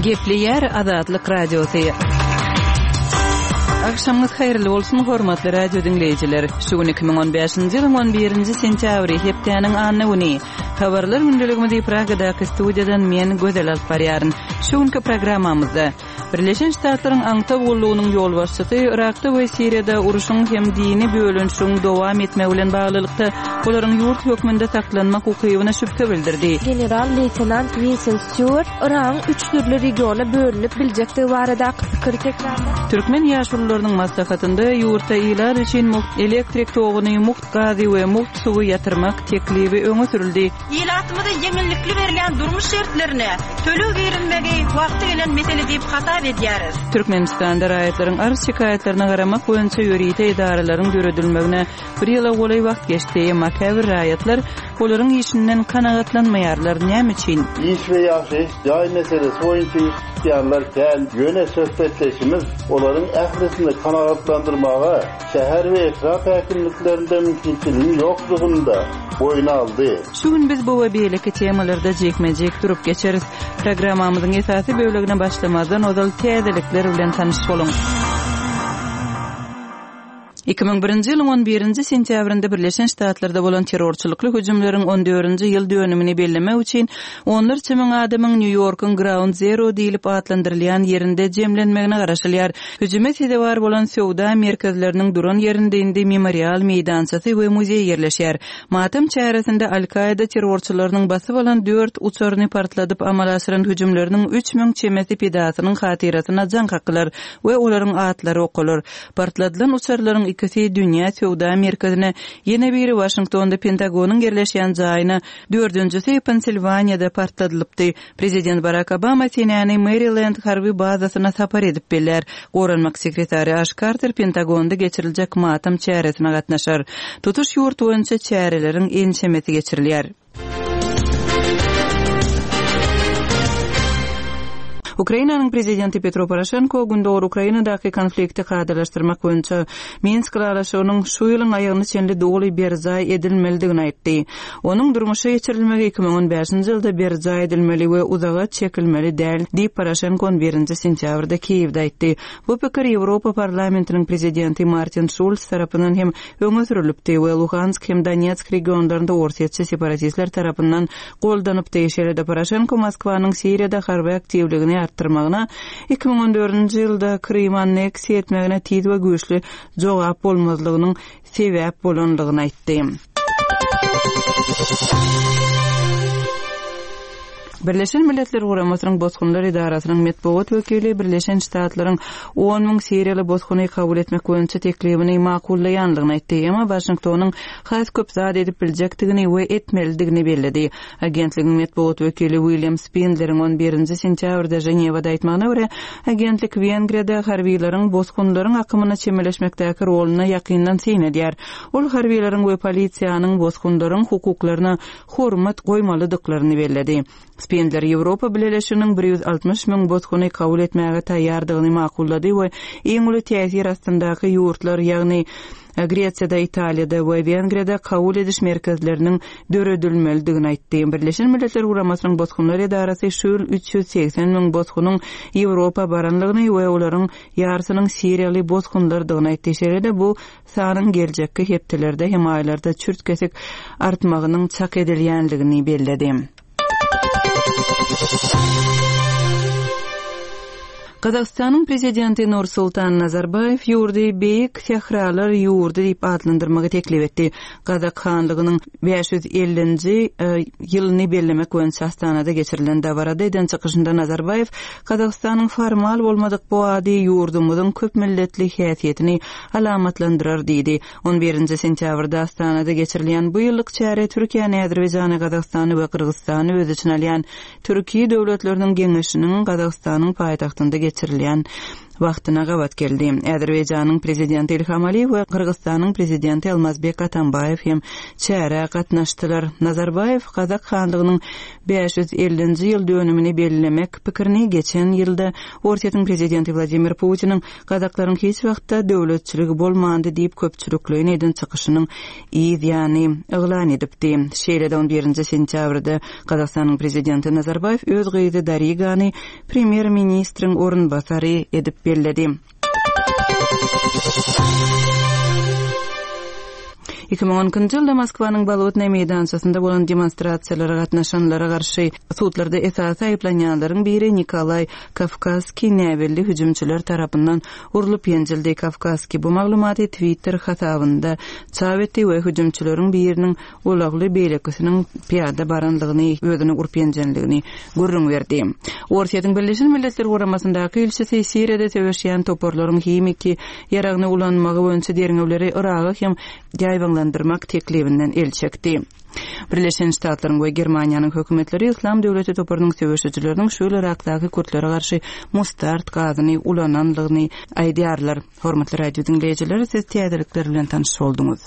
Gepleýär Azatlyk Radiosy. Agşamyňyz haýyrly bolsun, hormatly radio diňleýjiler! Şu gün 2015-nji ýylyň 11-nji sentýabry, hepdäniň anna güni. Habarlar gündeligimizi Pragadaky studiýadan men, Gözel alyp barýaryn. Şu günki programmamyzda. Birleşen Ştatlaryň aňtaw gullugynyň ýolbaşçysy Yrakda we Siriýada urşuň hem dini bölünişigiň dowam etmegi bilen baglylykda, olaryň ýurt hökmünde saklanmak ukybyna şübhe bildirdi. General-leýtenant Wilson Stýuart Yragyň üç dürli regiona bölünip biljekdigi baradaky pikiri tekrarlap, Türkmen ýaşulularynyň maslahatynda ýurtda ilat üçin mugt elektrik toguny, mugt gazy we mugt suwy ýatyrmak teklibi öňe sürüldi. Ilatymyza ýeňillikli berilýän durmuş şertlerine töleg girizmegi wagty gelen mesele diýip hasap edýäris. Türkmenistanda raýatlaryň arz-şikaýatlaryna garamak boýunça ýörite edaralaryň döredilmegine bir ýyla golaý wagt geçdi, emma käbir raýatlar olaryň işinden kanagatlanmaýarlar. Näme üçin? Iş we ýaşaýyş jaý meselesi boýunça ýüz tutýanlar kän, ýöne söhbetdeşimiz olaryň ählisini kanagatlandyrmaga şäher we etrap häkimliklerinde mümkinçiligiň ýokdugyny-da boýun aldy. Şu gün biz bu we beýleki temalarda jikme-jik durup geçeris. Programmamyzyň esasy bölegine başlamazdan ozal täzelikler bilen tanyş boluň. 2001-nji ýylyň on birinji sentýabrynda Birleşen Ştatlarda bolan terrorçylykly hüjümleriň on dördünji ýyl dönümini bellemek üçin onlarça müň adamyň Nýu-Ýorkuň Ground Zero diýlip atlandyrylýan ýerinde jemlenmegine garaşylýar. Hüjüme sezewar bolan söwda merkezleriniň duran ýerinde indi memorial meýdançasy we muzeý ýerleşýär. Matam çäresinde Al-Kaida terrorçylarynyň basyp alan dört uçaryny partladyp amala aşyran hüjümleriniň 3000 çemesi pidasynyň hatyrasyna jaň kakylar we olaryň atlary okalar. Partladylan uçarlaryň ikisi Dünýä söwda merkezine, ýene biri Waşingtonda Pentagonyň ýerleşýän jaýyna, dördünjisi Pensilwaniýada partladylypdy. Prezident Barak Obama senäni Merilend harby bazasyna sapar edip bellär. Goranmak sekretary Aş Karter Pentagonda geçiriljek matam çäresine gatnaşar. Tutuş ýurt boýunça çäreleriň ençemesi geçirilýär. Ukrainanyň prezidenti Petro Poroşenko Gündogar Ukrainadaky konflikti kadalaşdyrmak boýunça Minsk ylalaşygynyň şu ýylyň aýagyna çenli doly berjaý edilmelidigini aýtdy. Onuň durmuşa geçirilmegi 2015-nji ýylda berjaý edilmeli we uzaga çekilmeli däl, diýip, Poroşenko on birinji sentýabrda Kiýewde aýtdy. Bu pikir Ýewropa Parlamentiniň prezidenti Martin Şulz tarapyndan hem öňe sürülipdi we Luhansk hem Donetsk regionlarynda orsýetçi separatistler tarapyndan goldanypdy. Şeýle-de Poroşenko Moskwanyň Siriýada harby aktiwligini artdyrmagyna, 2014-nji ýylda Krymy anneksiýa etmegine tiz we güýçli jogap bolmazlygynyň sebäp bolandygyny aýtdy. Birleşen Milletler Guramasynyň Bosgunlar edarasynyň metbugat wekili Birleşen Ştatlaryň on müň siriýaly bosguny kabul etmek boýunça teklibini makullaýandygyny aýtdy, emma Waşingtonyň has köp zat edip biljekdigini we etmelidigini belledi. Agentligiň metbugat wekili William Spindleriň on birinji sentýabrda Ženewada aýtmagyna görä, agentlik Wengriýada harbylaryň bosgunlaryň akymyna çemeleşmekdäki roluna ýakyndan syn edýär. Ol harbylaryň we polisiýanyň bosgunlaryň hukuklaryna hormat goýmalydyklaryny belledi. Spindler Ýewropa Bileleşiginiň 160 müň bosguny kabul etmäge taýýardygyny makullady we iň uly täsir astyndaky ýurtlar, ýagny Gresiýada, Italiýada we Wengriýada kabul ediş merkezleriniň döredilmelidigini aýtdy. Birleşen Milletler Guramasynyň Bosgunlar edarasy şu ýyl 380 müň bosgunyň Ýewropa baranlygyny we olaryň ýarysynyň siriýaly bosgunlardygyny aýtdy. Şeýle-de bu sanyň geljekki hepdelerde hem aýlarda çürt-kesik artmagynyň çak edilýändigini belledi. Gazagystanyň Prezidenti Nursultan Nazarbaýew ýurdy Beýik sähralar ýurdy diýip atlandyrmagy teklip etdi. Gazak hanlygynyň 550-nji ýylyny bellemek boýunça Astanada geçirilen dabarada eden çykyşynda Nazarbaýew Gazagystanyň formal bolmadyk bu ady ýurdumyzyň köp milletli häsiýetini alamatlandyrar diýdi. On birinji sentýabrda Astanada geçirilýän bu ýyllyk çäre Türkiýäni, Azerbaýjany, Gazagystany we Gyrgyzystany öz içine alýan Türki döwletleriniň Geňeşiniň Gazagystanyň paýtagtynda geçirilýän. wagtyna gabat geldi. Azerbaýjanyň Prezidenti Ilham Aliýew we Gyrgyzystanyň Prezidenti Almazbek Atambaýew hem çärä gatnaşdylar. Nazarbaýew Gazak hanlygynyň 550-nji ýyl dönümini bellemek pikirini geçen ýylda Orsýetiň Prezidenti Wladimir Putiniň Gazaklaryň hiç wagtda döwletçiligi bolmandy diýip köpçülikleýin eden çykyşynyň yz ýany yglan edipdi. Şeýle-de on birinji sentýabrda Gazagystanyň Prezidenti Nazarbaýew öz gyzy Darigany Premýer-ministriň orunbasary edip belledi. 2012-nji ýylda Moskwanyň Bolotnaý meýdançasynda bolan demonstrasiýalara gatnaşanlara garşy sudlarda esasy aýyplanýanlaryň biri Nikolaý Kawkazskiý näbelli hüjümçiler tarapyndan urlup ýenjildi. Kawkazskiý bu maglumaty Twitter hasabynda çap etdi we hüjümçileriň biriniň ulagly, beýlekisiniň pyýada barandygyny, özüni urup ýenjendigini gürrüň berdi. Orsýetiň Birleşen Milletler Guramasyndaky ilçisi Siriýada söweşýän toparlaryň himiki ýaragyny ulanmagy boýunça derňewleri Yraga hem ýaýbaňlandyrmak teklibinden el çekdi. Birleşen Ştatlaryň we Germaniýanyň hökümetleri Yslam döwleti toparynyň söweşijileriniň şu ýyl Yrakdaky kürtlere garşy mustard gazyny ulanandygyny aýdýarlar. Hormatly radio diňleýjiler, siz täzelikler bilen tanyş bolduňyz.